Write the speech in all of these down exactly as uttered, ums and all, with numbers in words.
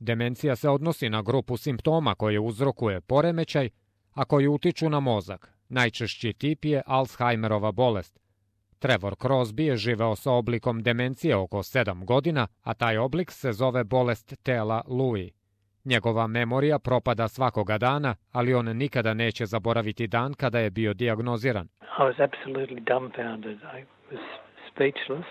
Demencija se odnosi na grupu simptoma koje uzrokuje poremećaj, a koji utiču na mozak. Najčešći tip je Alzheimerova bolest. Trevor Crosby je živeo sa oblikom demencije oko sedam godina, a taj oblik se zove bolest tela Lewy. Njegova memorija propada svakoga dana, ali on nikada neće zaboraviti dan kada je bio dijagnoziran. I was absolutely dumbfounded. I was speechless.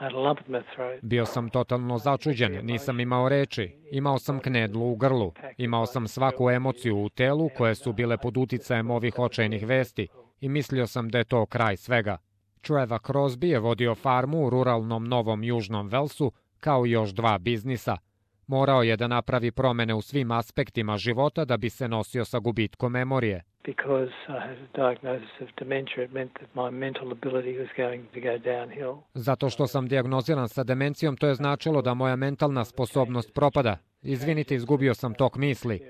I had a lump in my throat. Bio sam totalno začuđen, nisam imao reči, imao sam knedlu u grlu, imao sam svaku emociju u telu koje su bile pod uticajem ovih očajnih vesti i mislio sam da je to kraj svega. Trevor Crosby je vodio farmu u ruralnom Novom Južnom Velsu kao i još dva biznisa. Morao je da napravi promene u svim aspektima života da bi se nosio sa gubitkom memorije. Zato što sam dijagnoziran sa demencijom, to je značilo da moja mentalna sposobnost propada. Izvinite, izgubio sam tok misli.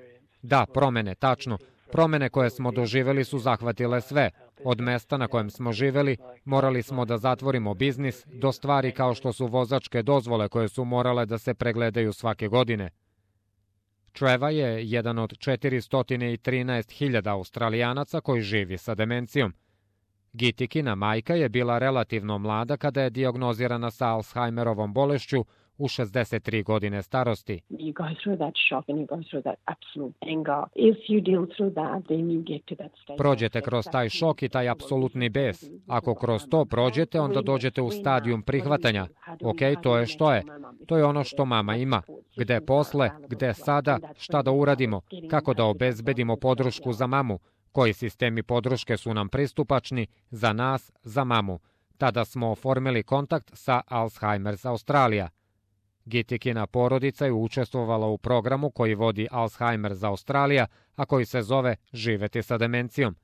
Da, promene, tačno. Promene koje smo doživjeli su zahvatile sve. Od mesta na kojem smo živjeli, morali smo da zatvorimo biznis, do stvari kao što su vozačke dozvole koje su morale da se pregledaju svake godine. Trevor je jedan od četiristo trinaest hiljada Australijanaca koji živi sa demencijom. Gitikina majka je bila relativno mlada kada je dijagnozirana sa Alzheimerovom bolešću u šezdeset tri godine starosti. Prođete kroz taj šok i taj apsolutni bes. Ako kroz to prođete, onda dođete u stadijum prihvatanja. Ok, to je što je. To je ono što mama ima. Gde posle, gde sada, šta da uradimo, kako da obezbedimo podršku za mamu, koji sistemi podrške su nam pristupačni, za nas, za mamu. Tada smo oformili kontakt sa Alzheimer's Australija. Gitikina porodica je učestvovala u programu koji vodi Alzheimer's Australija, a koji se zove Živeti sa demencijom.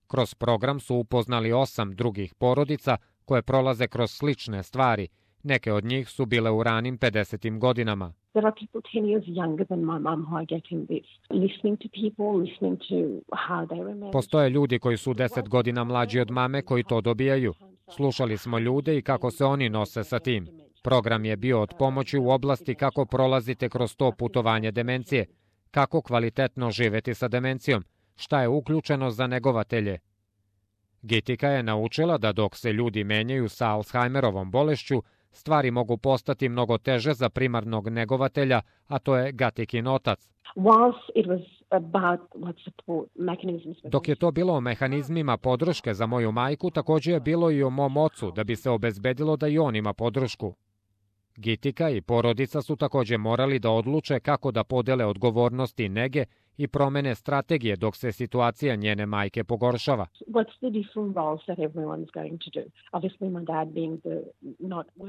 Kroz program su upoznali osam drugih porodica koje prolaze kroz slične stvari. Neke od njih su bile u ranim pedesetim godinama. Postoje ljudi koji su deset godina mlađi od mame koji to dobijaju. Slušali smo ljude i kako se oni nose sa tim. Program je bio od pomoći u oblasti kako prolazite kroz to putovanje demencije, kako kvalitetno živeti sa demencijom, šta je uključeno za negovatelje. Gitika je naučila da dok se ljudi menjaju sa Alzheimerovom bolešću, stvari mogu postati mnogo teže za primarnog negovatelja, a to je Gatikin otac. Dok je to bilo o mehanizmima podrške za moju majku, također je bilo i o mom ocu, da bi se obezbedilo da i on ima podršku. Gitika i porodica su također morali da odluče kako da podele odgovornosti i nege i promene strategije dok se situacija njene majke pogoršava.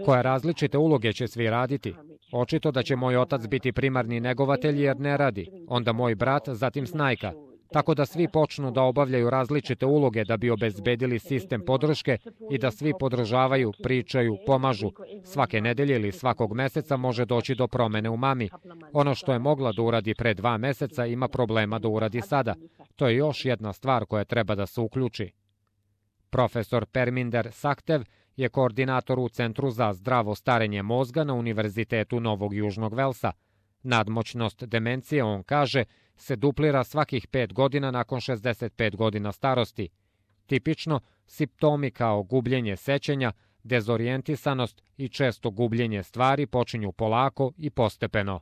Koje različite uloge će svi raditi? Očito da će moj otac biti primarni negovatelj jer ne radi, onda moj brat, zatim snajka. Tako da svi počnu da obavljaju različite uloge da bi obezbedili sistem podrške i da svi podržavaju, pričaju, pomažu. Svake nedelje ili svakog meseca može doći do promene u mami. Ono što je mogla da uradi pre dva meseca ima problema da uradi sada. To je još jedna stvar koja treba da se uključi. Profesor Perminder Saktev je koordinator u Centru za zdravo starenje mozga na Univerzitetu Novog Južnog Velsa. Nadmoćnost demencije, on kaže, se duplira svakih pet godina nakon šezdeset pet godina starosti. Tipično, simptomi kao gubljenje sećanja, dezorijentisanost i često gubljenje stvari počinju polako i postepeno.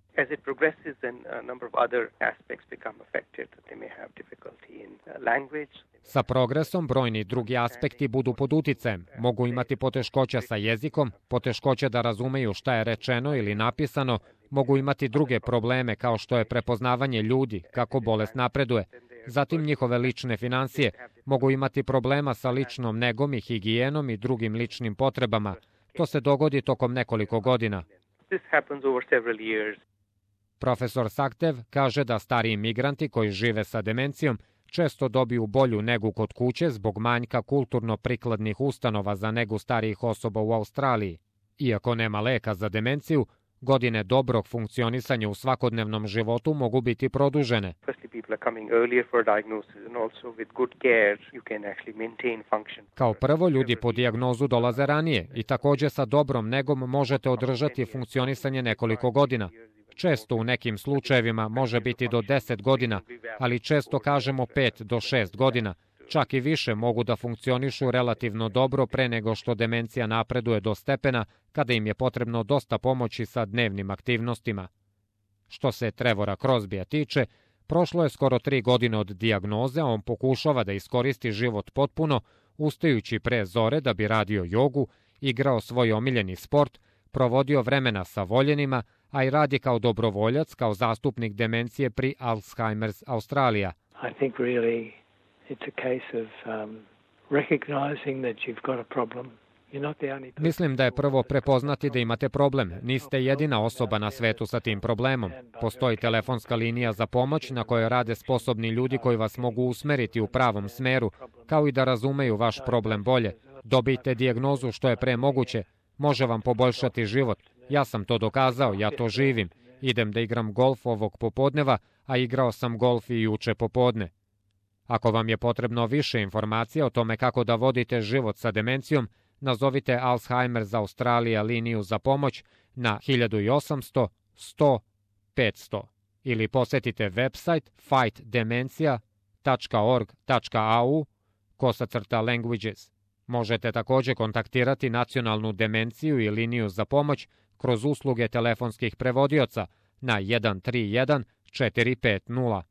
Sa progresom brojni drugi aspekti budu pod uticajem. Mogu imati poteškoća sa jezikom, poteškoće da razumeju šta je rečeno ili napisano, mogu imati druge probleme kao što je prepoznavanje ljudi, kako bolest napreduje, zatim njihove lične finansije, mogu imati problema sa ličnom negom i higijenom i drugim ličnim potrebama. To se dogodi tokom nekoliko godina. Profesor Saktev kaže da stariji migranti koji žive sa demencijom često dobiju bolju negu kod kuće zbog manjka kulturno prikladnih ustanova za negu starijih osoba u Australiji. Iako nema leka za demenciju, godine dobrog funkcionisanja u svakodnevnom životu mogu biti produžene. Kao prvo, ljudi po dijagnozu dolaze ranije i također sa dobrom negom možete održati funkcionisanje nekoliko godina. Često u nekim slučajevima može biti do deset godina, ali često kažemo pet do šest godina. Čak i više mogu da funkcionišu relativno dobro pre nego što demencija napreduje do stepena kada im je potrebno dosta pomoći sa dnevnim aktivnostima. Što se Trevora Crosbya tiče, prošlo je skoro tri godine od dijagnoze, a on pokušava da iskoristi život potpuno, ustajući pre zore da bi radio jogu, igrao svoj omiljeni sport, provodio vremena sa voljenima, a i radi kao dobrovoljac, kao zastupnik demencije pri Alzheimer's Australija. I think really it's a case of um, recognizing that you've got a problem. Mislim da je prvo prepoznati da imate problem. Niste jedina osoba na svetu sa tim problemom. Postoji telefonska linija za pomoć na kojoj rade sposobni ljudi koji vas mogu usmeriti u pravom smeru, kao i da razumeju vaš problem bolje. Dobijte dijagnozu što je pre moguće. Može vam poboljšati život. Ja sam to dokazao, ja to živim. Idem da igram golf ovog popodneva, a igrao sam golf i juče popodne. Ako vam je potrebno više informacija o tome kako da vodite život sa demencijom, nazovite Alzheimer's Australija liniju za pomoć na hiljadu osamsto sto petsto ili posetite website fight dementia tačka org tačka a u kosacrta languages. Možete također kontaktirati nacionalnu demenciju i liniju za pomoć kroz usluge telefonskih prevodioca na jedan tri jedan četiri pet nula.